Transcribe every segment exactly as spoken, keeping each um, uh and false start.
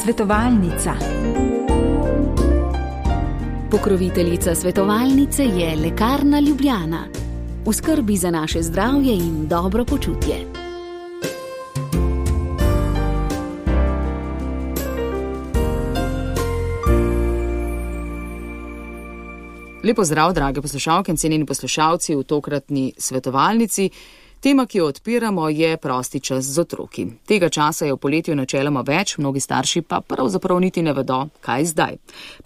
Svetovalnica. Pokroviteljica svetovalnice je Lekarna Ljubljana. V skrbi za naše zdravje in dobro počutje. Lepo zdrav, drage poslušalke in cenjeni poslušalci v tokratni svetovalnici. Tema, ki jo odpiramo, je prosti čas z otroki. Tega časa je v poletju načeloma več, mnogi starši pa pravzaprav niti ne vedo, kaj zdaj.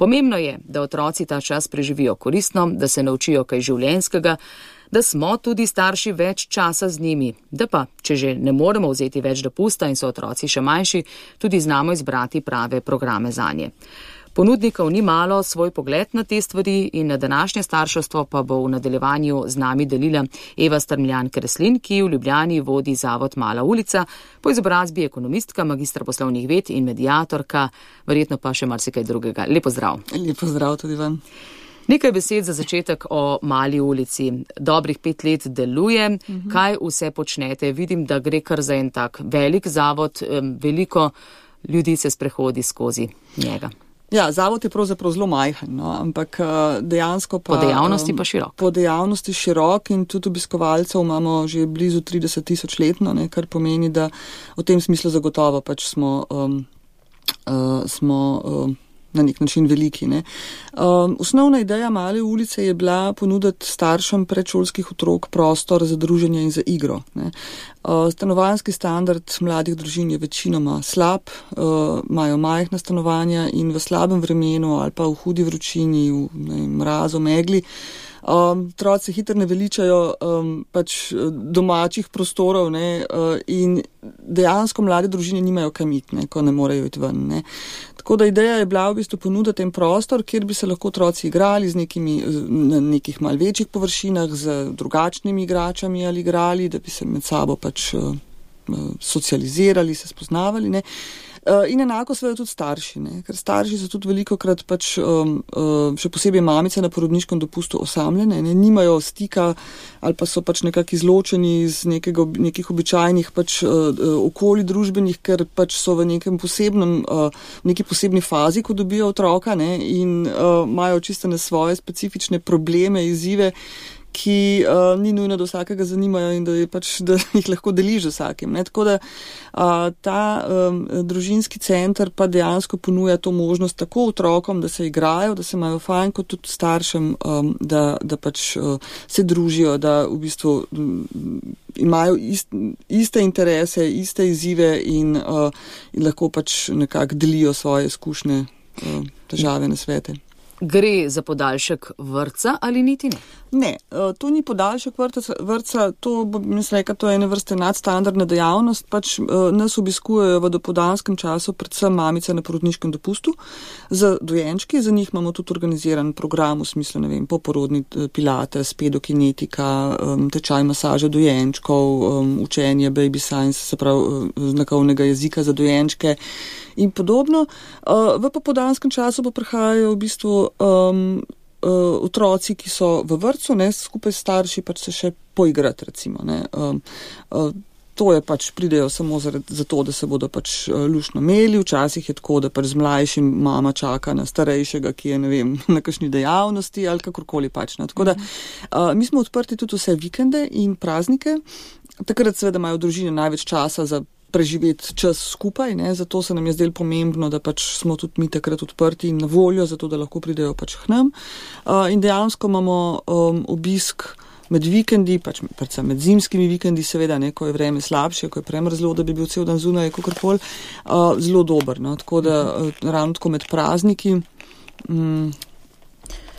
Pomembno je, da otroci ta čas preživijo koristno, da se naučijo kaj življenjskega, da smo tudi starši več časa z njimi, da pa, če že ne moremo vzeti več dopusta in so otroci še manjši, tudi znamo izbrati prave programe zanje. Ponudnikov ni malo, svoj pogled na te stvari in na današnje starševstvo pa bo v nadaljevanju z nami delila Eva Strmljan Kreslin, ki v Ljubljani vodi zavod Mala ulica, po izobrazbi ekonomistka, magistra poslovnih ved in mediatorka, verjetno pa še marsikaj drugega. Lepo zdrav. Lepo zdrav tudi vam. Nekaj besed za začetek o Mali ulici. Dobrih pet let deluje. Mhm. Kaj vse počnete? Vidim, da gre kar za en tak velik zavod, veliko ljudi se sprehodi skozi njega. Ja, zavod je pravzaprav zelo majhen, no, ampak dejansko pa... Po dejavnosti pa širok. Po dejavnosti širok in tudi obiskovalcev imamo že blizu trideset tisoč letno, ne, kar pomeni, da v tem smislu zagotovo pač smo, um, uh, smo um, na nek način veliki. Ne. Um, osnovna ideja Male ulice je bila ponuditi staršem predšolskih otrok prostor za druženje in za igro. Ne. Uh, stanovanjski standard mladih družin je večinoma slab, uh, imajo majhna stanovanja in v slabem vremenu ali pa v hudi vročini, v ne, mrazu, megli, Um, otroci se hitro ne veličajo um, pač domačih prostorov, ne, uh, in dejansko mlade družine nimajo kam iti, ne, ko ne morejo iti ven. Ne. Tako da ideja je bila v bistvu ponuditi en prostor, kjer bi se lahko otroci igrali z nekimi, na nekih mal večjih površinah, z drugačnimi igračami ali igrali, da bi se med sabo pač uh, socializirali, se spoznavali. Ne. In enako seveda tudi starši, ne? Ker starši so tudi velikokrat pač, um, um, še posebej mamice na porodniškem dopustu osamljene, ne? Nimajo stika ali pa so pač nekako izločeni iz nekega, nekih običajnih pač, uh, okolij družbenih, ker pač so v nekem posebnem, uh, neki posebni fazi, ko dobijo otroka, ne? In uh, imajo čisto na svoje specifične probleme, izzive, ki uh, ni nujno do vsakega zanimajo in da, je pač, da jih lahko deliš z vsakim. Ne? Tako da uh, ta um, družinski center pa dejansko ponuja to možnost tako otrokom, da se igrajo, da se imajo fajn, kot tudi staršem, um, da, da pač uh, se družijo, da v bistvu um, imajo ist, iste interese, iste izzive in, uh, in lahko pač nekako delijo svoje izkušnje, uh, težave, nasvete. Gre za podaljšek vrtca ali niti ne? Ne, to ni podaljšek vrtca, to bo, mislim, reka, to je ene vrste nadstandardna dejavnost, pač nas obiskujejo v dopoldanskem času predvsem mamice na porodniškem dopustu za dojenčki, za njih imamo tudi organiziran program v smislu, ne vem, poporodni pilates, pedokinetika, tečaj masaže dojenčkov, učenje baby science, se pravi znakovnega jezika za dojenčke in podobno. V popoldanskem času pa prihajajo v bistvu um, uh, otroci, ki so v vrtcu, ne, skupaj s starši pač se še poigrati, recimo, ne. Um, uh, to je pač, pridejo samo zaradi, zato, da se bodo pač uh, luštno imeli, včasih je tako, da pač z mlajšim mama čaka na starejšega, ki je, ne vem, na kakšni dejavnosti ali kakorkoli pač, ne. Tako da, uh, mi smo odprti tudi vse vikende in praznike, takrat seveda imajo družine največ časa za preživeti čas skupaj, ne, zato se nam je zdelo pomembno, da pač smo tudi mi takrat odprti in na voljo, zato da lahko pridejo pač k nam. Uh, in dejansko imamo um, obisk med vikendi, pač predvsem med zimskimi vikendi, seveda, ne, ko je vreme slabše, ko je premrzlo, da bi bil cel dan zunaj, kakorkoli, uh, zelo dober, no, tako da uh, ravno tako med prazniki um,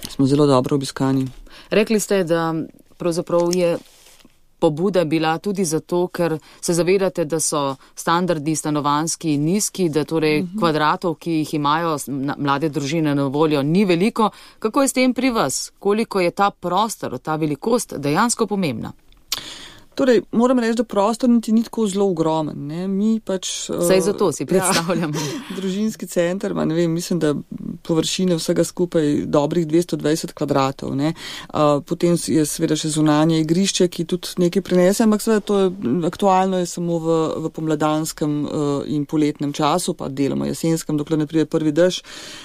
smo zelo dobro obiskani. Rekli ste, da pravzaprav je pobuda bila tudi zato, ker se zavedate, da so standardi stanovanjski nizki, da torej uh-huh. kvadratov, ki jih imajo mlade družine na voljo, ni veliko. Kako je s tem pri vas? Koliko je ta prostor, ta velikost dejansko pomembna? Torej, moram reči, da prostor niti ni tako zelo ogromen. Ne? Mi pač... Saj zato si predstavljamo. Ja, družinski center, ma ne vem, mislim, da površine vsega skupaj dobrih dvesto dvajset kvadratov. Ne. Potem je seveda še zunanje igrišče, ki tudi nekaj prinese, ampak seveda to je aktualno je samo v, v pomladanskem in poletnem času, pa deloma jesenskem, dokler ne pride prvi dež.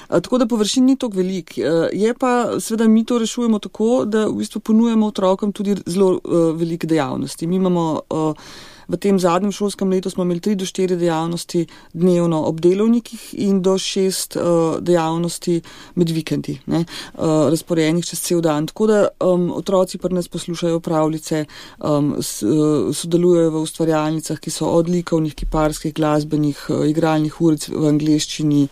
Tako da površin ni toliko velik. Je pa, seveda mi to rešujemo tako, da v bistvu ponujemo otrokom tudi zelo uh, velike dejavnosti. Mi imamo uh, v tem zadnjem šolskem letu smo imeli tri do štiri dejavnosti dnevno ob delovnikih in do šest uh, dejavnosti med vikendi, ne, uh, razporejenih čez cel dan. Tako da um, otroci pri nas poslušajo pravljice, um, s, uh, sodelujejo v ustvarjalnicah, ki so od likovnih, kiparskih, glasbenih, uh, igralnih uric v angleščini.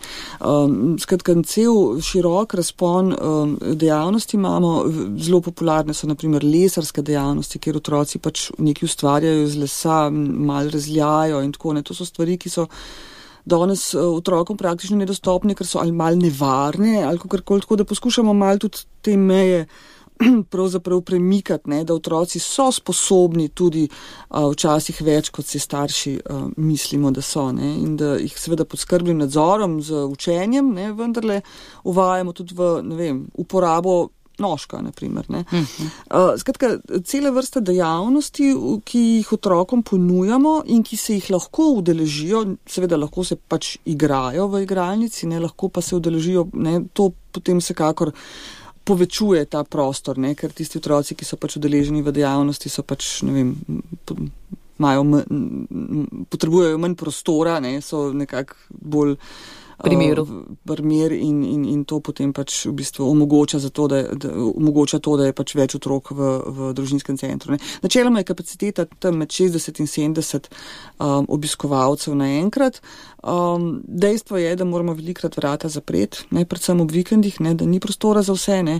Um, skratka, cel širok razpon um, dejavnosti imamo. Zelo popularne so naprimer lesarske dejavnosti, kjer otroci pač nekaj ustvarjajo iz lesa, malo razljajo in tako ne. To so stvari, ki so danes otrokom praktično nedostopne, ker so ali malo nevarne ali kakorkoli, tako da poskušamo malo tudi te meje pravzaprav premikati, ne, da otroci so sposobni tudi a, včasih več, kot si starši a, mislimo, da so, ne, in da jih seveda pod skrbnim nadzorom z učenjem, ne, vendarle uvajamo tudi v, ne vem, uporabo nožka, na primer. Ne. Uh-huh. Uh, skratka, cela vrsta dejavnosti, ki jih otrokom ponujamo in ki se jih lahko udeležijo, seveda lahko se pač igrajo v igralnici, ne, lahko pa se udeležijo, ne, to potem vsekakor povečuje ta prostor, ne, ker tisti otroci, ki so pač udeleženi v dejavnosti, so pač, ne vem, imajo potrebujejo manj prostora, ne, so nekako bolj primeru. Primer in, in, in to potem pač v bistvu omogoča, za to, da, da, omogoča to, da je pač več otrok v, v družinskem centru. Ne. Načeloma je kapaciteta tam med šestdeset in sedemdeset um, obiskovalcev naenkrat. Um, dejstvo je, da moramo velikrat vrata zapreti, ne, predvsem ob vikendih, ne, da ni prostora za vse. Ne.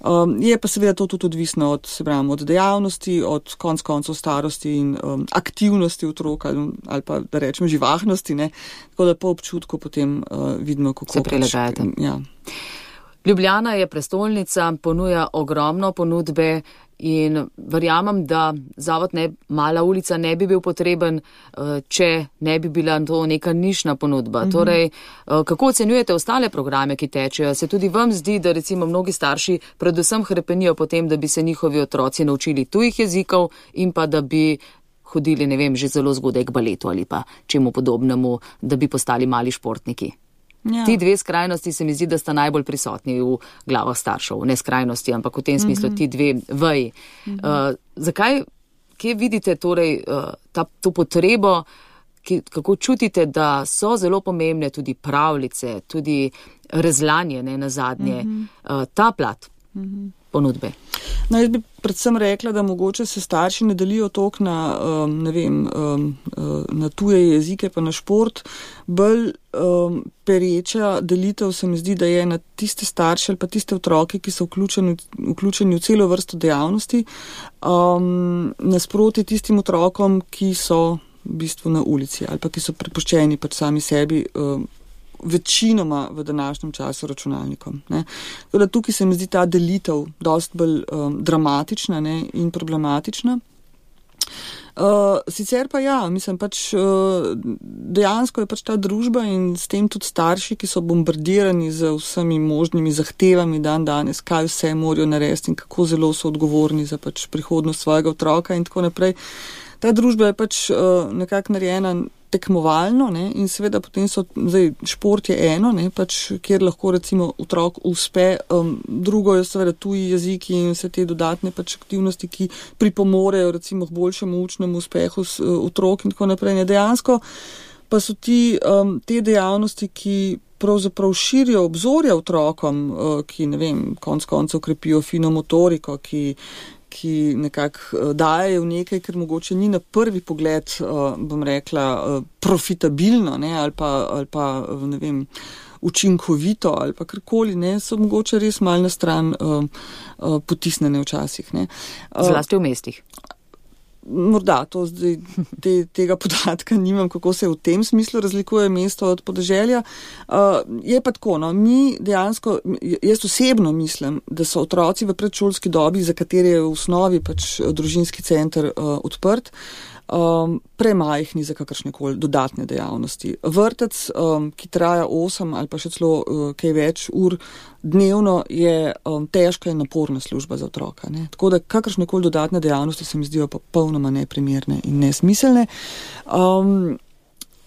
Um, je pa seveda to tudi odvisno od, se pravim, od dejavnosti, od konc koncev starosti in um, aktivnosti otroka ali, ali pa, da rečem, živahnosti. Ne. Tako da po občutku potem uh, vidimo, kako se prilagajate. Ja. Ljubljana je prestolnica, ponuja ogromno ponudbe in verjamem, da zavod ne, Mala ulica ne bi bil potreben, če ne bi bila to neka nišna ponudba. Mm-hmm. Torej, kako ocenjujete ostale programe, ki tečejo? Se tudi vam zdi, da recimo mnogi starši predvsem hrepenijo potem, da bi se njihovi otroci naučili tujih jezikov in pa da bi hodili, ne vem, že zelo zgodaj k baletu ali pa čemu podobnemu, da bi postali mali športniki? Ja. Ti dve skrajnosti se mi zdi, da sta najbolj prisotni v glavah staršev. Ne skrajnosti, ampak v tem smislu mm-hmm. ti dve veji. Mm-hmm. Uh, zakaj, kje vidite torej uh, ta, to potrebo, ki, kako čutite, da so zelo pomembne tudi pravljice, tudi rezlanje, ne, na zadnje, mm-hmm. uh, ta plat mm-hmm. ponudbe? No, jaz bi predvsem rekla, da mogoče se starši ne delijo toliko na, um, ne vem, um, na tuje jezike pa na šport. Bolj um, pereča delitev se mi zdi, da je na tiste starše ali pa tiste otroke, ki so vključeni, vključeni v celo vrsto dejavnosti, um, nasproti tistim otrokom, ki so v bistvu na ulici ali pa ki so prepuščeni pač sami sebi, um, večinoma v današnjem času računalnikom. Ne. Tako da tukaj se mi zdi ta delitev dosti bolj um, dramatična, ne, in problematična. Uh, sicer pa ja, mislim pač uh, dejansko je pač ta družba in s tem tudi starši, ki so bombardirani z vsemi možnimi zahtevami dan danes, kaj vse morajo narediti in kako zelo so odgovorni za pač prihodnost svojega otroka in tako naprej. Ta družba je pač uh, nekako narejena tekmovalno, ne, in seveda potem so, zdaj, šport je eno, ne, pač, kjer lahko recimo otrok uspe, um, drugo je seveda tuji jeziki in vse te dodatne pač aktivnosti, ki pripomorejo recimo k boljšemu učnemu uspehu s, uh, otrok in tako naprej. Ne, dejansko pa so ti, um, te dejavnosti, ki pravzaprav širijo obzorja otrokom, uh, ki, ne vem, konc koncev krepijo fino motoriko, ki ki nekako dajejo nekaj, ker mogoče ni na prvi pogled, bom rekla, profitabilno, ne, ali pa, ali pa, ne vem, učinkovito, ali pa karkoli, ne, so mogoče res malo na stran uh, uh, potisnjene včasih, ne. Uh, Zlasti v mestih. Morda, to zdaj, te, tega podatka nimam, kako se v tem smislu razlikuje mesto od podeželja. Uh, je pa tako, no, mi dejansko, jaz osebno mislim, da so otroci v predšolski dobi, za katere je v osnovi pač družinski center uh, odprt, um, premajhni za kakršnekoli dodatne dejavnosti. Vrtec, um, ki traja osem ali pa še celo uh, kaj več ur dnevno, je um, težka in naporna služba za otroka. Ne? Tako da kakršnekoli dodatne dejavnosti se mi zdijo pa popolnoma neprimerne in nesmiselne. Um,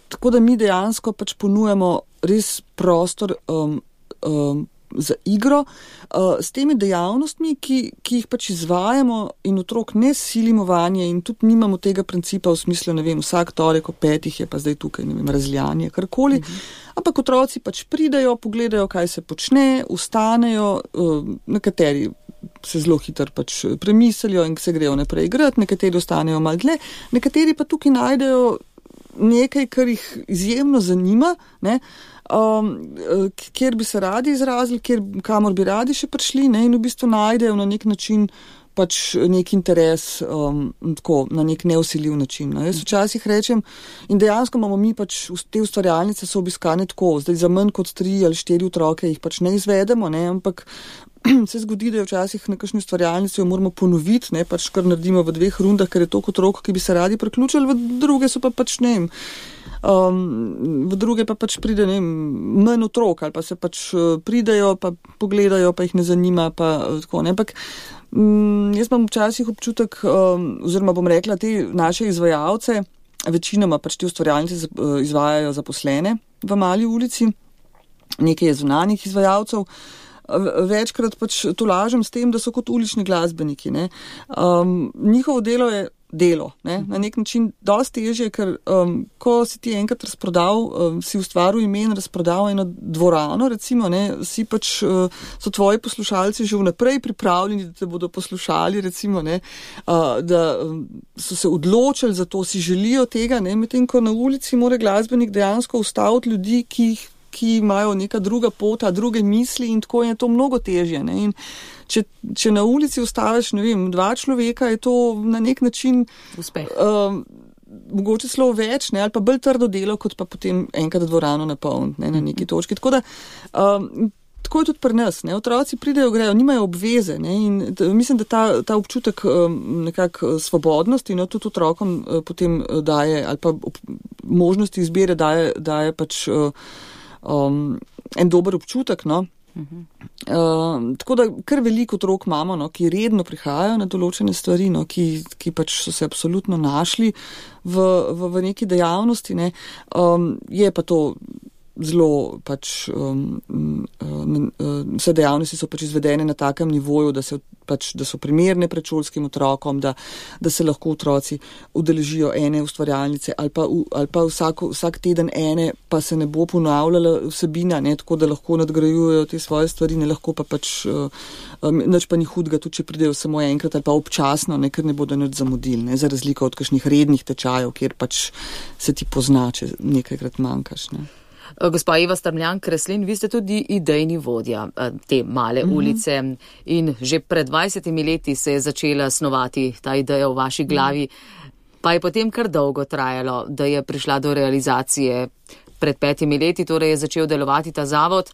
tako da mi dejansko pač ponujamo res prostor um, um, za igro, uh, s temi dejavnostmi, ki, ki jih pač izvajamo in otrok ne silimo vanje in tudi nimamo tega principa v smislu, ne vem, vsak torek o petih je pa zdaj tukaj, ne vem, razlijanje, karkoli, mhm. ampak otroci pač pridajo, pogledajo, kaj se počne, vstanejo, uh, nekateri se zelo hitro pač premislijo in se grejo naprej igrati, nekateri ostanejo malo dlje, nekateri pa tukaj najdejo nekaj, kar jih izjemno zanima, ne, Um, kjer bi se radi izrazili, kjer, kamor bi radi še prišli, ne, in v bistvu najdejo na nek način pač nek interes, um, tako, na nek neusiljiv način. Ne. Jaz včasih rečem, in dejansko imamo mi pač te ustvarjalnice so obiskane tako, zdaj za manj kot tri ali štiri otroke jih pač ne izvedemo, ne, ampak se zgodi, da je včasih na kakšni ustvarjalnici jo moramo ponoviti, ne, pač kar naredimo v dveh rundah, ker je toliko otrok, ki bi se radi priključili, v druge so pa pač, ne vem, Um, v druge pa pač pride, ne vem, manj otrok, ali pa se pač pridejo, pa pogledajo, pa jih ne zanima, pa tako, ne, ampak um, jaz imam včasih občutek, um, oziroma bom rekla, te naše izvajalce, večinoma pač te ustvarjalnice izvajajo zaposlene v Mali ulici, nekaj je zunanjih izvajalcev, večkrat pač tolažem s tem, da so kot ulični glasbeniki, ne, um, njihovo delo je delo, ne, na nek način dosti težje, ker um, ko si ti enkrat razprodal, um, si ustvaril ime in razprodal eno dvorano, recimo, ne, si pač, uh, so tvoji poslušalci že vnaprej pripravljeni, da te bodo poslušali, recimo, ne, uh, da um, so se odločili za to, si želijo tega, ne, medtem ko na ulici mora glasbenik dejansko ustaviti ljudi, ki jih ki imajo neka druga pota, druge misli in tako je to mnogo težje. Ne? In če, če na ulici ustaviš, ne vem, dva človeka, je to na nek način uspeh. Um, mogoče celo več, ne? Ali pa bolj trdo delo, kot pa potem enkrat dvorano napolniti, ne? Na neki točki. Tako da, um, tako je tudi pri nas. Ne? Otroci pridejo, grejo, nimajo obveze. Ne? In t- mislim, da ta, ta občutek um, nekako svobodnosti, no, tudi otrokom uh, potem daje, ali pa ob, možnosti izbire daje, daje pač uh, Um, en dober občutek, no. Uh-huh. Uh, tako da kar veliko otrok imamo, no, ki redno prihajajo na določene stvari, no, ki, ki pač so se absolutno našli v, v, v neki dejavnosti, ne. Um, je pa to zelo pač, um, um, vse dejavnosti so pač izvedene na takem nivoju, da, se, pač, da so primerne predšolskim otrokom, da, da se lahko otroci udeležijo ene ustvarjalnice ali pa, ali pa vsako, vsak teden ene, pa se ne bo ponavljala vsebina, ne, tako da lahko nadgrajujejo te svoje stvari, ne lahko pa pač, um, nič pa ni hudega, tudi če pridejo samo enkrat ali pa občasno, ne, ker ne bodo nič zamudili, ne, za razliko od kakšnih rednih tečajev, kjer pač se ti pozna, če nekajkrat manjkaš, ne. Gospa Eva Strmljan-Kreslin, vi ste tudi idejni vodja te Male mm-hmm. ulice in že pred dvajsetimi leti se je začela snovati ta ideja v vaši glavi, pa je potem kar dolgo trajalo, da je prišla do realizacije. Pred petimi leti torej je začel delovati ta zavod,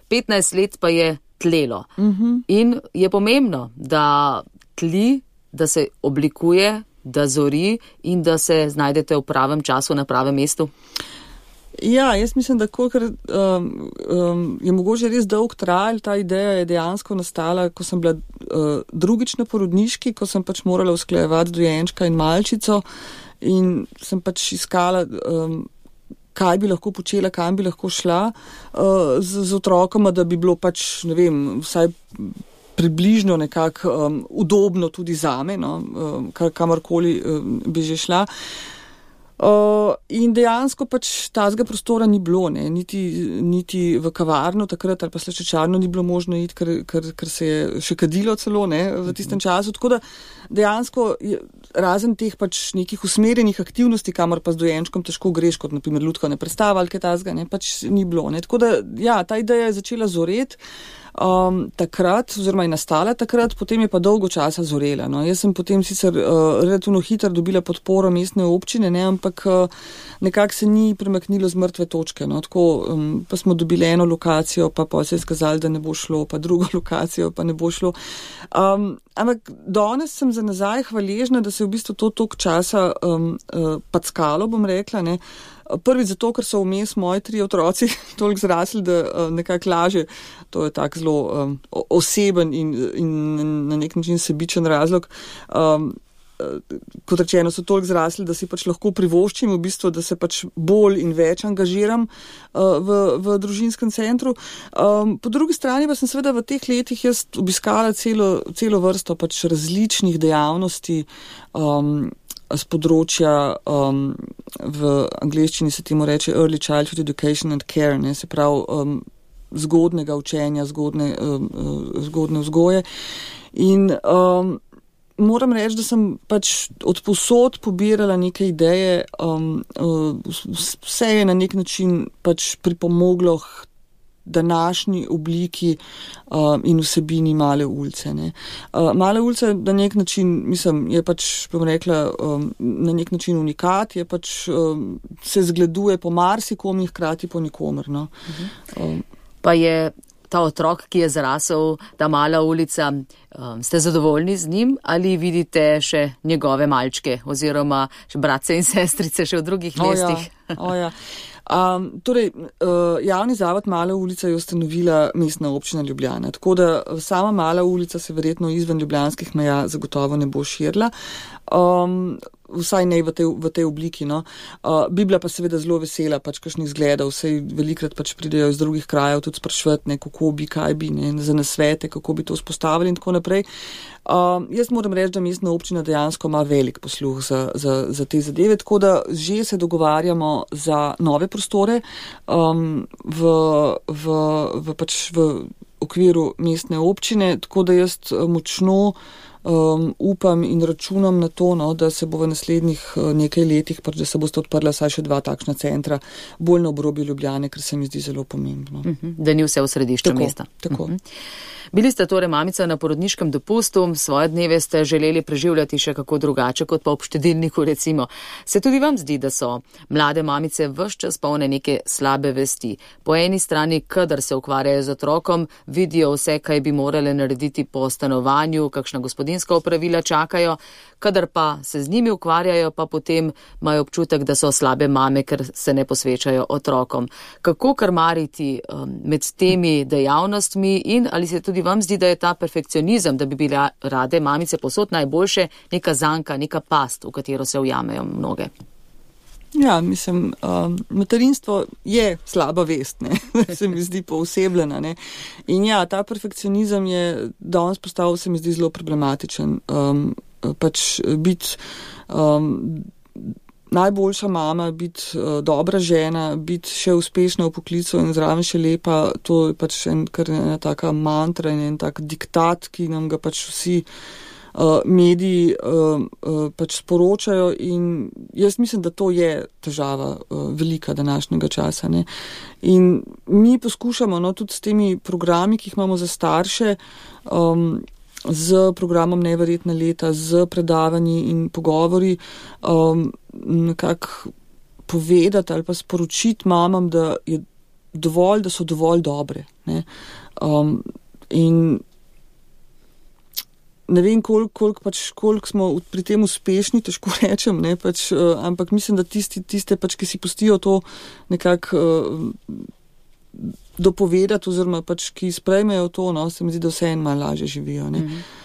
petnajst let pa je tlelo. Mm-hmm. In je pomembno, da tli, da se oblikuje, da zori in da se znajdete v pravem času na pravem mestu. Ja, jaz mislim, da kolikor um, um, je mogoče res dolg trajal, ta ideja je dejansko nastala, ko sem bila uh, drugič na porodniški, ko sem pač morala usklajevati dojenčka in malčico in sem pač iskala, um, kaj bi lahko počela, kam bi lahko šla uh, z, z otrokoma, da bi bilo pač, ne vem, vsaj približno nekako um, udobno tudi zame, no, um, kar, kamorkoli um, bi že šla. Uh, in dejansko pač tazga prostora ni bilo, ne, niti, niti v kavarno takrat ali pa slaščičarno ni bilo možno iti, ker, ker, ker se je še kadilo celo, ne, v tistem času. Tako da dejansko je, razen teh pač nekih usmerjenih aktivnosti, kamor pa z dojenčkom težko greš, kot naprimer lutkovne predstave ali kaj tazga, ne, pač ni bilo. Ne. Tako da, ja, ta ideja je začela zoreti. um, takrat, oziroma je nastala takrat, potem je pa dolgo časa zorela. No. Jaz sem potem sicer uh, relativno hitro dobila podporo mestne občine, ne, ampak uh, nekako se ni premaknilo z mrtve točke. No. Tako, um, pa smo dobili eno lokacijo, pa pa se je skazali, da ne bo šlo, pa drugo lokacijo, pa ne bo šlo. Um, ampak danes sem za nazaj hvaležna, da se je v bistvu to toliko časa um, uh, packalo, bom rekla, ne. Prvi zato, ker so vmes moji tri otroci toliko zrasli, da uh, nekako laže, to je tak zelo um, oseben in, in na nek način sebičen razlog. Um, kot rečeno, so toliko zrasli, da si pač lahko privoščim v bistvu, da se pač bolj in več angažiram uh, v, v družinskem centru. Um, po drugi strani pa sem seveda v teh letih jaz obiskala celo, celo vrsto pač različnih dejavnosti, um, z področja, um, v angleščini se temu reče Early Childhood Education and Care, ne, se pravi um, zgodnega učenja, zgodne, um, zgodne vzgoje. In um, moram reči, da sem pač od povsod pobirala neke ideje, um, vse je na nek način pač pripomoglo k današnji obliki uh, in vsebini Male ulice. Ne. Uh, Male ulice na nek način, mislim, je pač, bom rekla, um, na nek način unikat, je pač, um, se zgleduje po marsikom in hkrati po nikomer. No. Uh-huh. Um, pa je ta otrok, ki je zrasel, ta Mala ulica, um, ste zadovoljni z njim ali vidite še njegove malčke oziroma še bratce in sestrice še v drugih mestih? O ja, o ja. Um, torej, uh, javni zavod Mala ulica je ustanovila Mestna občina Ljubljana, tako da sama Mala ulica se verjetno izven ljubljanskih meja zagotovo ne bo širila. Um, vsaj ne v tej, v tej obliki. No. Uh, bi bila pa seveda zelo vesela pač kakšnih zgledov, vsej velikrat pač pridejo iz drugih krajev tudi sprašvati, ne, kako bi, kaj bi, ne, za nasvete, kako bi to vzpostavili in tako naprej. Uh, jaz moram reči, da mestna občina dejansko ima velik posluh za, za, za te zadeve, tako da že se dogovarjamo za nove prostore um, v, v, v, pač v okviru mestne občine, tako da jaz močno Um, upam in računam na to, no, da se bo v naslednjih uh, nekaj letih, pač, da se boste odprla saj še dva takšna centra, bolj na obrobju Ljubljane, ker se mi zdi zelo pomembno. Uh-huh. Da ni vse v središču tako, mesta. Tako. Uh-huh. Bili ste torej mamica na porodniškem dopustu, svoje dneve ste želeli preživljati še kako drugače kot pa ob štedilniku recimo. Se tudi vam zdi, da so mlade mamice ves čas polne neke slabe vesti? Po eni strani, kadar se ukvarjajo z otrokom, vidijo vse, kaj bi morale narediti po stanovanju, kakšna gospodinska opravila čakajo, kadar pa se z njimi ukvarjajo, pa potem imajo občutek, da so slabe mame, ker se ne posvečajo otrokom. Kako krmariti um, med temi dejavnostmi in ali se tudi vam zdi, da je ta perfekcionizem, da bi bile rade mamice posod najboljše, neka zanka, neka past, v katero se ujamejo mnoge? Ja, mislim, um, materinstvo je slaba vest, ne, se mi zdi poosebljena, ne. In ja, ta perfekcionizem je danes postal, se mi zdi zelo problematičen. Um, pač biti um, najboljša mama, biti uh, dobra žena, biti še uspešna v poklicu in zraven še lepa, to je pač en, kar ena taka mantra in en tak diktat, ki nam ga pač vsi uh, mediji uh, uh, pač sporočajo in jaz mislim, da to je težava uh, velika današnjega časa. Ne. In mi poskušamo, no, tudi s temi programi, ki jih imamo za starše, um, z programom Neverjetna leta, z predavanji in pogovori, um, nekako povedati ali pa sporočiti mamam, da je dovolj, da so dovolj dobre. Ne? Um, in ne vem, koliko kolik pač, kolik smo pri tem uspešni, težko rečem, ne? Pač, uh, ampak mislim, da tisti, tiste, pač, ki si pustijo to nekako uh, dopovedati oziroma pač, ki sprejmejo to, no, se mi zdi, da vse en malo lažje živijo. Ne? Mm-hmm.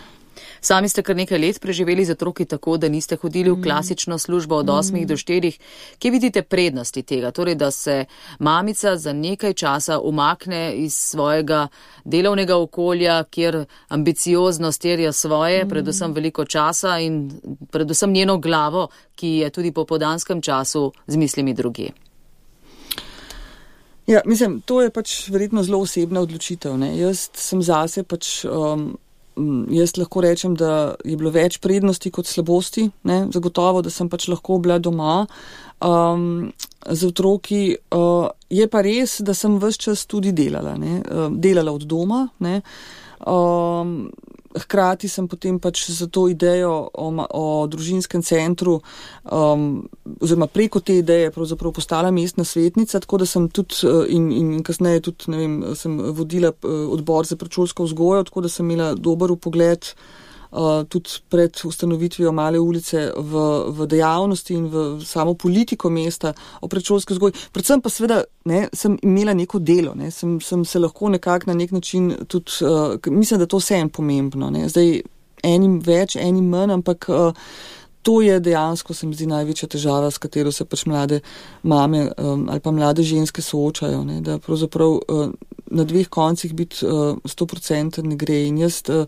Sami ste kar nekaj let preživeli z otroki tako, da niste hodili v klasično službo od osmih do štirih. Kje vidite prednosti tega? Torej, da se mamica za nekaj časa umakne iz svojega delovnega okolja, kjer ambicioznost terja svoje, predvsem veliko časa in predvsem njeno glavo, ki je tudi po popoldanskem času z mislimi drugje. Ja, mislim, to je pač verjetno zelo osebna odločitev. Ne? Jaz sem zase pač um, jaz lahko rečem, da je bilo več prednosti kot slabosti, ne, zagotovo, da sem pač lahko bila doma um, z otroki. Uh, je pa res, da sem ves čas tudi delala, ne, uh, delala od doma, ne. Um, hkrati sem potem pač za to idejo o, o družinskem centru um, oziroma preko te ideje pravzaprav postala mestna svetnica, tako da sem tudi in, in kasneje tudi, ne vem, sem vodila odbor za predšolsko vzgojo, tako da sem imela dober vpogled uh, tudi pred ustanovitvijo Male ulice v, v dejavnosti in v samo politiko mesta o predšolski vzgoji. Predvsem pa seveda ne, sem imela neko delo, ne, sem, sem se lahko nekako na nek način tudi, uh, mislim, da to vse je pomembno, ne, zdaj enim več, enim manj, ampak uh, to je dejansko, se mi zdi, največja težava, s katero se pač mlade mame um, ali pa mlade ženske soočajo, ne, da pravzaprav uh, na dveh koncih biti sto procentov ne gre. In jaz, uh,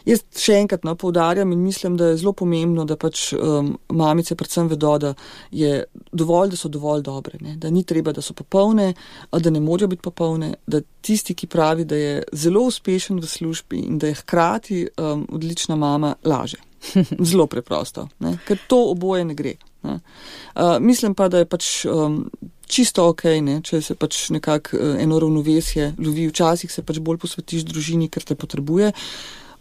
jaz še enkrat no, poudarjam in mislim, da je zelo pomembno, da pač um, mamice predvsem vedo, da je dovolj, da so dovolj dobre, ne, da ni treba, da so popolne, da ne morajo biti popolne, da tisti, ki pravi, da je zelo uspešen v službi in da je hkrati um, odlična mama, laže. Zelo preprosto, ne? Ker to oboje ne gre. Ne? Uh, mislim pa, da je pač um, čisto ok, ne? Če se pač nekako uh, eno ravnovesje lovi. Včasih se pač bolj posvetiš družini, ker te potrebuje,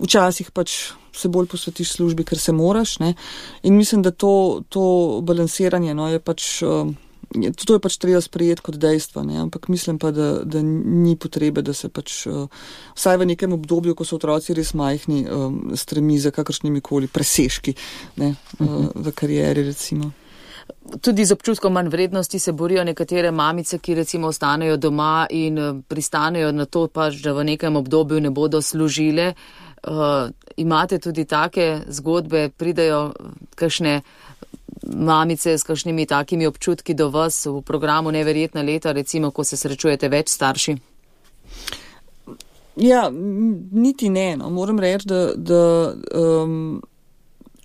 včasih pač se bolj posvetiš službi, ker se moraš. Ne? In mislim, da to, to balansiranje no, je pač... Um, To je pač treba sprejeti kot dejstvo, ne? Ampak mislim pa, da, da ni potrebe, da se pač uh, vsaj v nekem obdobju, ko so otroci res majhni, um, stremi za kakršnimi koli presežki, ne? Uh, v karieri recimo. Tudi z občutkom manj vrednosti se borijo nekatere mamice, ki recimo ostanejo doma in pristanejo na to pač, da v nekem obdobju ne bodo služile. Uh, imate tudi take zgodbe, pridejo kakšne mamice s kakšnimi takimi občutki do vas v programu Neverjetna leta, recimo, ko se srečujete več starši? Ja, niti ne, no. Moram reči, da... da um,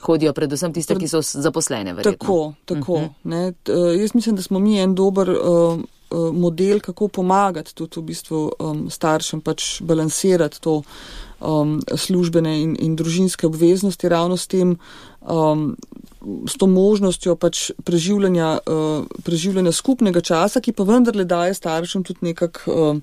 hodijo predvsem tiste, ki so zaposlene, verjetno. Tako, tako. Uh-huh. Ne. Jaz mislim, da smo mi en dober uh, model, kako pomagati tudi v bistvu um, staršem pač balansirati to um, službene in, in družinske obveznosti ravno s tem, um, s to možnostjo pač preživljanja, uh, preživljanja skupnega časa, ki pa vendarle daje staršem tudi nekak um,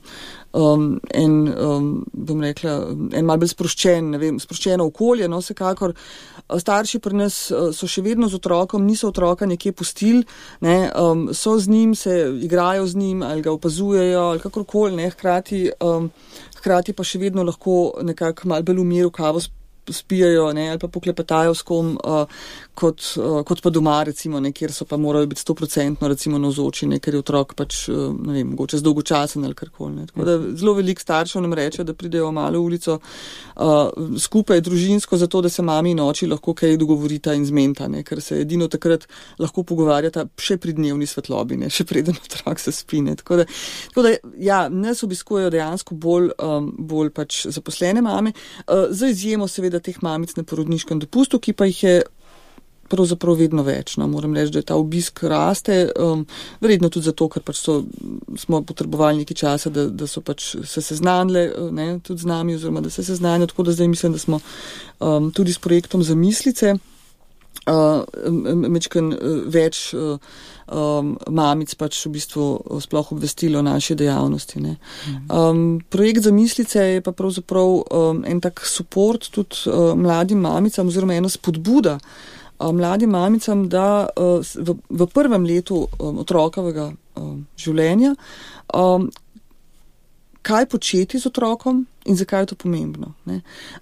um, en, um, bom rekla, en malo bolj sproščen, ne vem, sproščeno okolje, no, vsekakor. Starši pri nas so še vedno z otrokom, niso otroka nekje pustili, ne, um, so z njim, se igrajo z njim ali ga opazujejo ali kakorkoli, ne, hkrati, um, hkrati pa še vedno lahko nekako malo bolj v miru kavo spijajo, ne, ali pa poklepetajo s kom, uh, kot, uh, kot pa doma, recimo, ne, kjer so pa morali biti stoprocentno, recimo, navzoči, ne, ker je otrok pač, uh, ne vem, mogoče zdolgočasen ali karkoli, ne. Tako da zelo veliko staršev nam reče, da pridejo v Malo ulico uh, skupaj družinsko, zato da se mami in oči lahko kaj dogovorita in zmenta, ne, ker se edino takrat lahko pogovarjata še pri dnevni svetlobi, ne, še preden otrok se spi, ne. Tako da, tako da, ja, nas obiskujejo dejansko bolj, um, bolj pač zaposlene mame, uh, za izjemo seveda teh mamic na porodniškem dopustu, ki pa jih je pravzaprav vedno več. No. Moram reči, da ta obisk raste, um, verjetno tudi zato, ker pač so, smo potrebovali nekaj časa, da, da so pač se seznanile, ne, tudi z nami, oziroma da se seznanijo, tako da zdaj mislim, da smo um, tudi s projektom Zamislice uh, mečken uh, več uh, um, mamic pač v bistvu sploh obvestilo o naši dejavnosti. Ne. Um, projekt Zamislice je pa pravzaprav um, en tak support tudi uh, mladim mamicam oziroma ena spodbuda uh, mladim mamicam, da uh, v, v prvem letu um, otrokovega um, življenja um, kaj početi z otrokom in zakaj je to pomembno. Ne.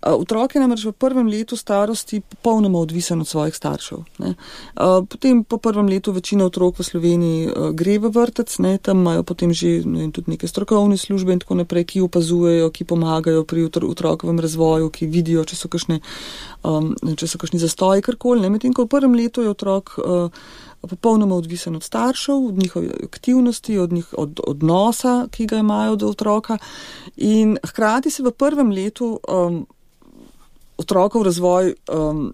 Otrok je namreč v prvem letu starosti popolnoma odvisen od svojih staršev. Ne. Potem po prvem letu večina otrok v Sloveniji gre v vrtec, ne, tam imajo potem že ne, tudi neke strokovne službe in tako naprej, ki opazujejo, ki pomagajo pri otrokovem razvoju, ki vidijo, če so kakšne, um, če so kakšni zastoji, karkoli. Medtem ko v prvem letu je otrok uh, popolnoma odvisen od staršev, od njihove aktivnosti, od, njih, od odnosa, ki ga imajo do otroka. In hkrati se v prvem letu um, otrokov razvoj um,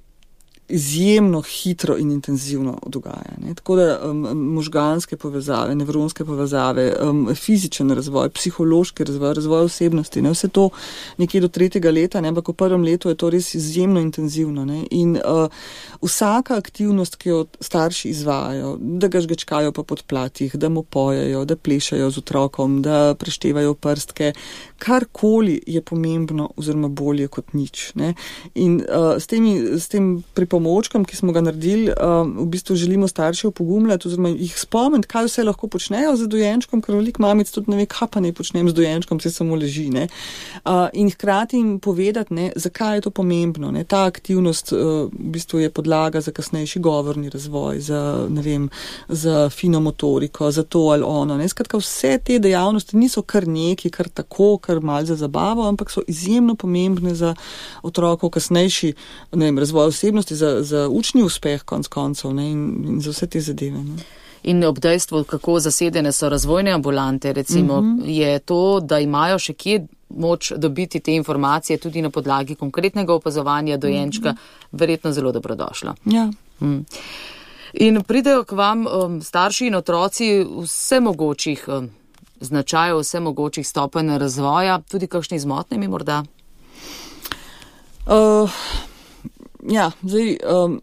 izjemno hitro in intenzivno dogaja. Ne? Tako da um, možganske povezave, nevronske povezave, um, fizičen razvoj, psihološki razvoj, razvoj osebnosti, ne? Vse to nekje do tretjega leta, ne? Ampak v prvem letu je to res izjemno intenzivno. Ne? In uh, vsaka aktivnost, ki jo starši izvajajo, da ga žgečkajo po podplatih, da mu pojejo, da plešajo z otrokom, da preštevajo prstke, karkoli je pomembno oziroma bolje kot nič. Ne? In uh, s, temi, s tem pripomočkom, ki smo ga naredili, uh, v bistvu želimo starše opogumljati oziroma jih spomniti, kaj vse lahko počnejo z dojenčkom, ker veliko mamic tudi ne ve, kaj pa ne počnem z dojenčkom, se samo leži. Ne? Uh, in hkrati jim povedati, ne, zakaj je to pomembno. Ne? Ta aktivnost uh, v bistvu je podlaga za kasnejši govorni razvoj, za, ne vem, za fino motoriko, za to ali ono. Ne? Skratka, vse te dejavnosti niso kar neki, kar tako, kar malo za zabavo, ampak so izjemno pomembne za otrokov kasnejši, ne vem, razvoj osebnosti, za, za učni uspeh konc koncev, ne, in, in za vse te zadeve. Ne. In ob dejstvu, kako zasedene so razvojne ambulante, recimo, mm-hmm. je to, da imajo še kje moč dobiti te informacije tudi na podlagi konkretnega opazovanja dojenčka, mm-hmm. verjetno zelo dobrodošlo. Ja. Mm. In pridejo k vam um, starši in otroci vse mogočih um, značajev, vse mogočih stopenj razvoja, tudi kakšni zmotnimi morda? Uh, ja, zdaj um,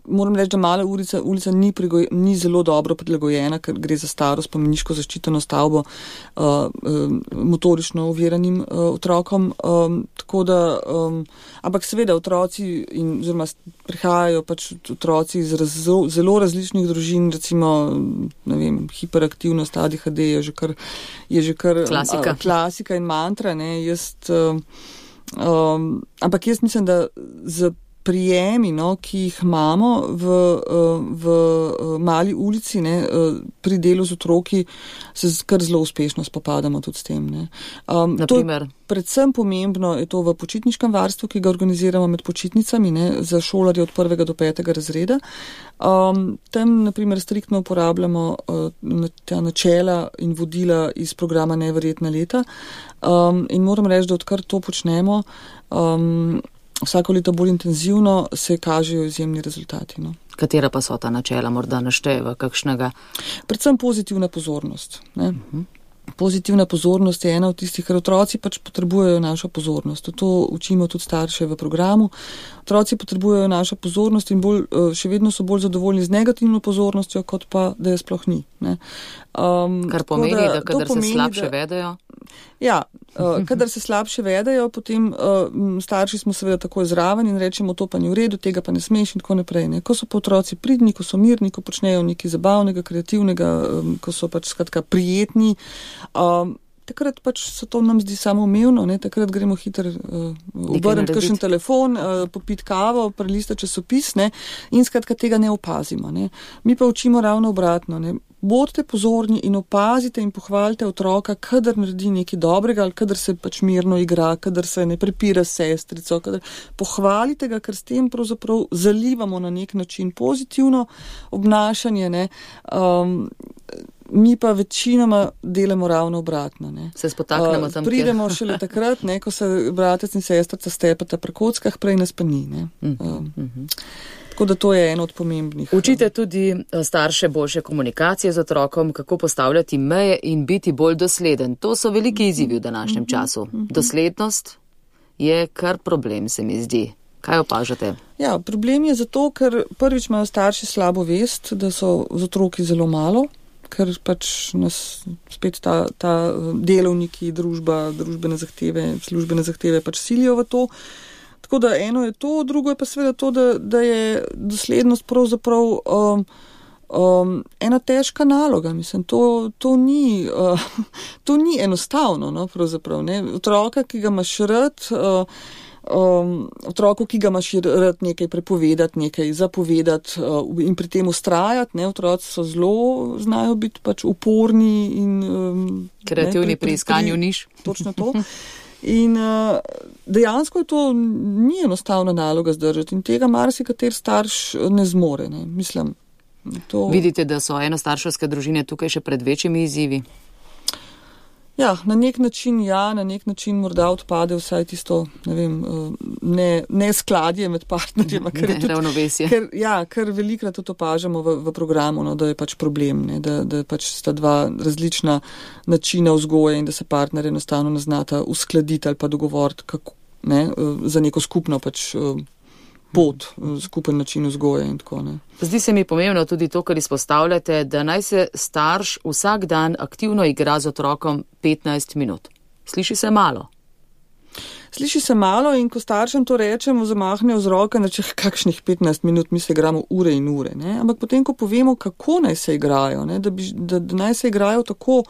moram reči, da mala ulica, ulica ni, pregoj, ni zelo dobro prilagojena, ker gre za staro spomeniško zaščiteno stavbo uh, um, motorično oviranim uh, otrokom. Um, tako da, um, ampak seveda otroci in oziroma prihajajo pač otroci iz raz, zelo različnih družin, recimo, ne vem, hiperaktivnost, A D H D je že kar, je že kar klasika. Uh, klasika in mantra, ne, jaz, uh, um, ampak jaz mislim, da z prijemi, no, ki jih imamo v, v mali ulici, ne, pri delu z otroki, se kar zelo uspešno spopadamo tudi s tem. Ne. Um, Naprimer? Predvsem pomembno je to v počitniškem varstvu, ki ga organiziramo med počitnicami, ne, za šolarje od prvega do petega razreda. Um, tam, naprimer, striktno uporabljamo uh, ta načela in vodila iz programa Neverjetna leta. Um, in moram reči, da odkar to počnemo, um, vsako leto bolj intenzivno se kažejo izjemni rezultati. No. Katera pa so ta načela, morda našteva kakšnega? Predvsem pozitivna pozornost. Ne. Uh-huh. Pozitivna pozornost je ena od tistih, ker otroci pač potrebujejo našo pozornost. To učimo tudi starše v programu. Otroci potrebujejo našo pozornost in bolj, še vedno so bolj zadovoljni z negativno pozornostjo, kot pa, da je sploh ni. Ne. Um, Kar pomeni, da, da kadar pomeni, se slabše da, vedejo? Ja, uh, kadar se slabše vedejo, potem uh, starši smo seveda takoj zraven in rečemo, to pa ni v redu, tega pa ne smeš in tako naprej. Ne. Ko so pa otroci pridni, ko so mirni, ko počnejo nekaj zabavnega, kreativnega, um, ko so pač skratka prijetni, um, takrat pač se to nam zdi samoumevno, ne, takrat gremo hitro uh, obrniti kakšen telefon, uh, popiti kavo, prelistati časopis, ne, in skratka tega ne opazimo. Ne. Mi pa učimo ravno obratno. Ne. Bodite pozorni in opazite in pohvalite otroka, kadar naredi nekaj dobrega ali kadar se pač mirno igra, kadar se ne prepira s sestrico, kadar pohvalite ga, ker s tem pravzaprav zalivamo na nek način pozitivno obnašanje, ne. Um, mi pa večinoma delamo ravno obratno. Ne. Se spotaknemo tam, uh, pridemo šele takrat, ne, ko se bratec in sestrica stepata pri kockah, prej nas pa ni. Ne. Um, uh-huh. Tako da to je eno od pomembnih. Učite tudi starše boljše komunikacije z otrokom, kako postavljati meje in biti bolj dosleden. To so veliki izzivi v današnjem času. Doslednost je kar problem, se mi zdi. Kaj opažate? Ja, problem je zato, ker prvič imajo starši slabo vest, da so z otroki zelo malo, ker pač nas spet ta, ta delovniki, družba, družbene zahteve, službene zahteve pač silijo v to. Tako da eno je to, drugo je pa seveda to, da, da je doslednost pravzaprav um, um, ena težka naloga. Mislim, to, to, ni, uh, to ni enostavno, no, pravzaprav. Ne. Otroka, ki ga imaš rad, uh, um, otroku, ki ga imaš rad nekaj prepovedati, nekaj zapovedati uh, in pri tem ustrajati, ne, otroci so zelo, znajo biti pač uporni in um, kreativni pri iskanju niš. Točno to. In uh, dejansko je to ni enostavna naloga zdržati in tega marsikater starš ne zmore. Ne. Mislim, to... Vidite, da so enostarševske družine tukaj še pred večjimi izzivi? Ja, na nek način ja, na nek način morda odpade vsaj tisto, ne vem, ne, ne skladje med partnerjema. Ne, ravnovesje. Ker, ja, ker velikrat to opažamo v, v programu, no, da je pač problem, ne, da, da pač sta dva različna načina vzgoje in da se partner enostavno ne znata uskladiti ali pa dogovoriti kako, ne, za neko skupno pač pot, skupen način vzgoje in tako ne. Zdi se mi pomembno tudi to, kar izpostavljate, da naj se starš vsak dan aktivno igra z otrokom petnajst minut. Sliši se malo. Sliši se malo in ko staršem to rečemo, zamahnejo z roke, da če kakšnih petnajst minut mi se igramo ure in ure. Ne? Ampak potem, ko povemo, kako naj se igrajo, ne? Da, bi, da, da naj se igrajo tako,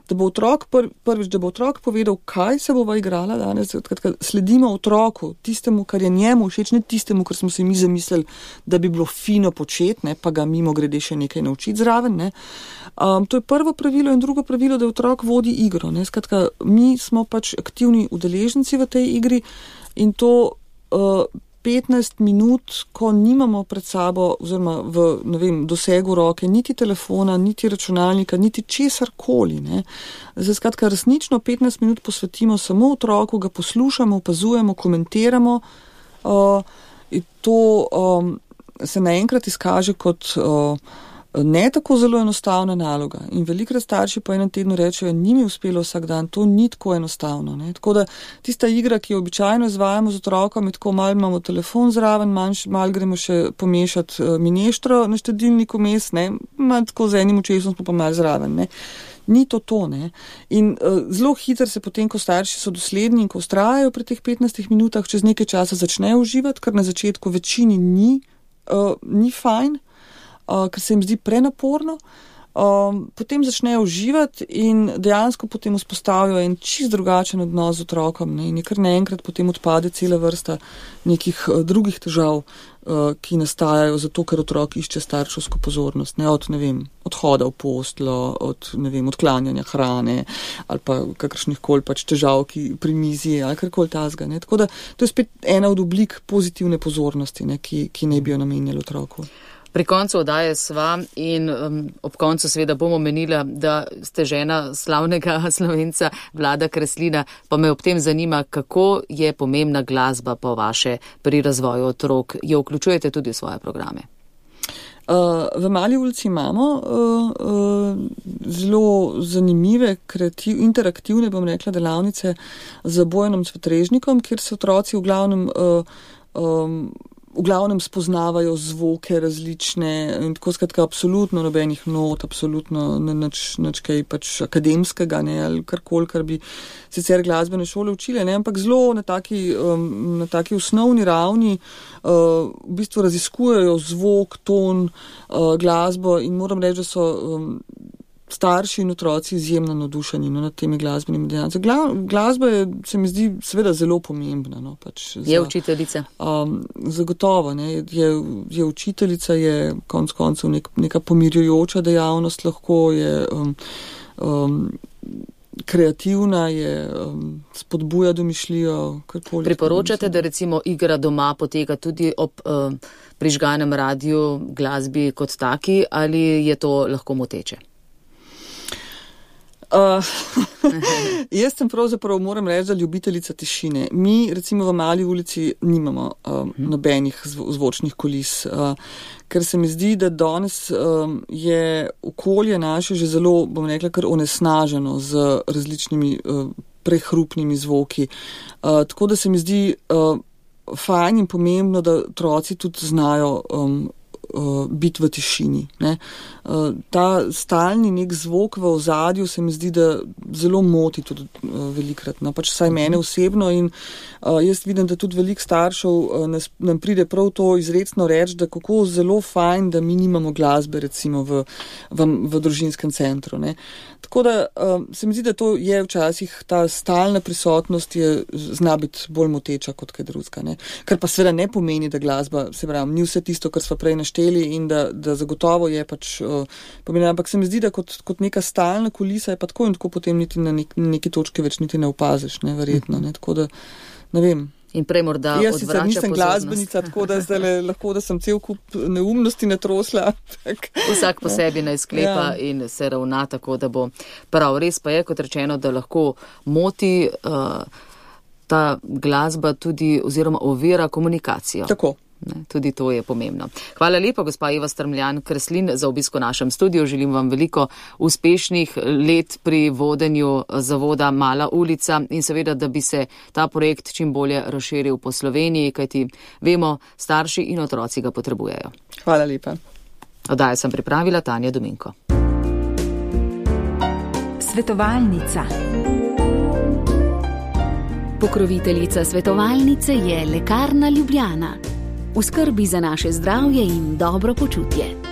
da bo otrok pr, prvič, da bo otrok povedal, kaj se bova igrala danes, odkrat sledimo otroku, tistemu, kar je njemu všeč, ne tistemu, kar smo si mi zamislili, da bi bilo fino početi, ne? Pa ga mimo grede še nekaj naučiti zraven. Ne? Um, to je prvo pravilo in drugo pravilo, da otrok vodi igro. Ne? Skratka, mi smo pač aktivni udeleženci v tej igri in to uh, petnajst minut, ko nimamo pred sabo oziroma v, ne vem, dosegu roke niti telefona, niti računalnika, niti česar koli. Ne. Zdaj, skratka, resnično petnajst minut posvetimo samo otroku, ga poslušamo, opazujemo, komentiramo. Uh, in to um, se naenkrat izkaže kot uh, ne tako zelo enostavna naloga. In velikrat starši po enem tednu rečejo, ni mi uspelo vsak dan, to ni tako enostavno. Ne. Tako da tista igra, ki jo običajno izvajamo z otrokom, je tako malo imamo telefon zraven, malo gremo še pomešati mineštro na štedilniku mes, ne, malo tako z enim očesom smo pa malo zraven. Ne. Ni to to, ne. In uh, zelo hitro se potem, ko starši so dosledni in ko vztrajajo pri teh petnajstih minutah, čez nekaj časa začnejo uživati, kar na začetku večini ni, uh, ni fajn, Uh, ker se jim zdi prenaporno, um, potem začnejo uživati in dejansko potem vzpostavijo en čist drugačen odnos z otrokom, ne, in je kar naenkrat potem odpade cela vrsta nekih uh, drugih težav, uh, ki nastajajo zato, ker otrok išče starševsko pozornost, ne, od, ne vem, odhoda v posteljo, od, ne vem, odklanjanja hrane ali pa kakršnih koli pač težav, ki pri mizi ali karkoli tazga, ne, tako da to je spet ena od oblik pozitivne pozornosti, ne, ki, ki ne bi jo namenjali otroku. Pri koncu oddaje sva in um, ob koncu seveda bomo menila, da ste žena slavnega Slovenca Vlada Kreslina, pa me ob tem zanima, kako je pomembna glasba po vaše pri razvoju otrok. Jo vključujete tudi v svoje programe? Uh, v Mali ulici imamo uh, uh, zelo zanimive, kreativ, interaktivne, bom rekla, delavnice z Bojanom Cvetrežnikom, kjer se otroci v glavnem uh, um, v glavnem spoznavajo zvoke različne in tako skratka absolutno nobenih not, absolutno nič, nič kaj pač akademskega, ne, ali karkoli, kar bi sicer glasbene šole učile, ne, ampak zelo na taki, um, na taki osnovni ravni uh, v bistvu raziskujejo zvok, ton, uh, glasbo in moram reči, da so um, starši in otroci izjemno navdušeni, no, nad temi glasbenimi dejavnostmi. Gla, glasba je, se mi zdi, seveda zelo pomembna. No, pač za, je učiteljica? Um, zagotovo. Ne, je, je učiteljica, je konec koncev nek, neka pomirjujoča dejavnost, lahko je um, um, kreativna, je um, spodbuja domišljijo. Karkoli. Priporočate, da recimo igra doma poteka tudi ob um, prižganem radiju, glasbi kot taki, ali je to lahko moteče? Uh, jaz sem pravzaprav, moram reči, da ljubiteljica tišine. Mi, recimo v Mali ulici, nimamo um, nobenih zvo, zvočnih kulis, uh, ker se mi zdi, da danes um, je okolje naše že zelo, bom rekla, kar onesnaženo z različnimi uh, prehrupnimi zvoki. Uh, tako da se mi zdi uh, fajn in pomembno, da otroci tudi znajo um, Uh, biti v tišini. Ne. Uh, ta stalni nek zvok v ozadju se mi zdi, da zelo moti tudi uh, velikrat. No, pač saj mene osebno in uh, jaz vidim, da tudi veliko staršev uh, nas, nam pride prav to izrecno reči, da kako zelo fajn, da mi nimamo glasbe recimo v, v, v družinskem centru. Ne. Tako da uh, se mi zdi, da to je včasih ta stalna prisotnost je zna biti bolj moteča kot kaj drugega. Ne. Kar pa seveda ne pomeni, da glasba, se pravi, ni vse tisto, kar sva prej našteli in da, da zagotovo je pač uh, pomeni, ampak se mi zdi, da kot, kot neka stalna kulisa je pa tako in tako potem niti na nek, neki točki več niti ne opaziš, ne, verjetno, ne, tako da, ne vem. In prej morda jaz odvrača sicer nisem pozornost. glasbenica, tako da zdaj lahko, da sem cel kup neumnosti natrosla. Vsak po sebi naj sklepa ja. In se ravna tako, da bo prav. Res pa je, kot rečeno, da lahko moti uh, ta glasba tudi oziroma ovira komunikacijo. Tako. Ne, tudi to je pomembno. Hvala lepa, gospa Eva Strmljan Kreslin, za obisko v našem studiu. Želim vam veliko uspešnih let pri vodenju zavoda Mala ulica in seveda, da bi se ta projekt čim bolje razširil po Sloveniji, kajti vemo, starši in otroci ga potrebujejo. Hvala lepa. Oddajo sem pripravila Tanja Dominko. Svetovalnica. Pokroviteljica svetovalnice je Lekarna Ljubljana. V skrbi za naše zdravje in dobro počutje.